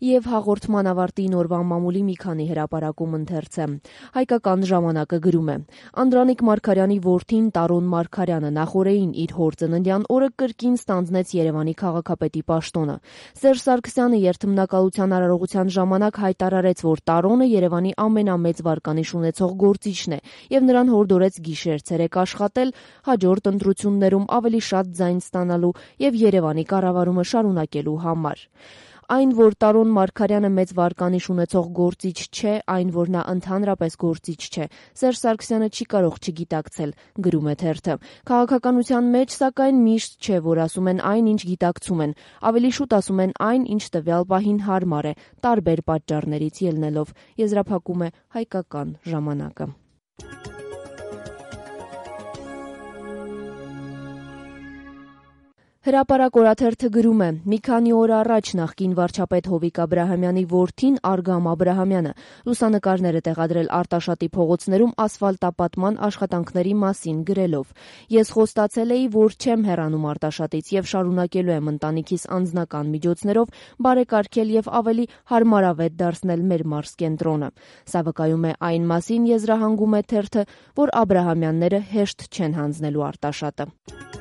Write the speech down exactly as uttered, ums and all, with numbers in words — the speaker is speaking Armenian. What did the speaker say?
Եվ հաղորդման ավարտին օրվան մամուլի մի քանի հրապարակում ընթերցեմ։ Հայկական ժամանակը գրում է. Անդրանիկ Մարգարյանի որդին Տարոն Մարգարյանը նախօրեին իր հոր ծննդյան օրը կրկին ստանձնեց Երևանի քաղաքապետի պաշտոնը։ Սերժ Սարգսյանը երթմնակալության արարողության ժամանակ հայտարարեց, որ Տարոնը Երևանի ամենամեծ վարկանիշ ունեցող գործիչն է եւ նրան հորդորեց գիշեր-ցերեկ աշխատել հաջորդ ընտրություններում ավելի շատ ձայն ստանալու եւ Երևանի կառավարումը շարունակելու համար։ Այն, որ Տարոն Մարգարյանը մեծ վարկանիշ ունեցող գործիչ չէ, այն, որ նա ընդհանրապես գործիչ չէ, Սերժ Սարգսյանը չի կարող չգիտակցել, գրում է թերթը։ Քաղաքականության մեջ, սակայն, միշտ չէ, որ ասում են այն, ինչ գիտակցում են, ավելի շուտ ասում են այն, ինչ տվյալ պահին հարմար է, տարբեր պատճառներից ելնելով, եզրափակում է Հայկական ժամանակը։ Հրապարակ օրաթերթը գրում է. մի քանի օր առաջ նախկին վարչապետ Հովիկ Աբրահամյանի որդին Արգամ Աբրահամյանը լուսանկարներ է տեղադրել Արտաշատի փողոցներում ասֆալտապատման աշխատանքների մասին գրելով. Ես խոստացել էի, որ չեմ հեռանում Արտաշատից եւ շարունակելու եմ ընտանիքիս անձնական միջոցներով բարեկարգել եւ ավելի հարմարավետ դարձնել մեր մարզկենտրոնը։ Սա վկայում է այն մասին, եզրահանգում է թերթը, որ Աբրահամյանները հեշտ չեն հանձնելու Արտաշատը։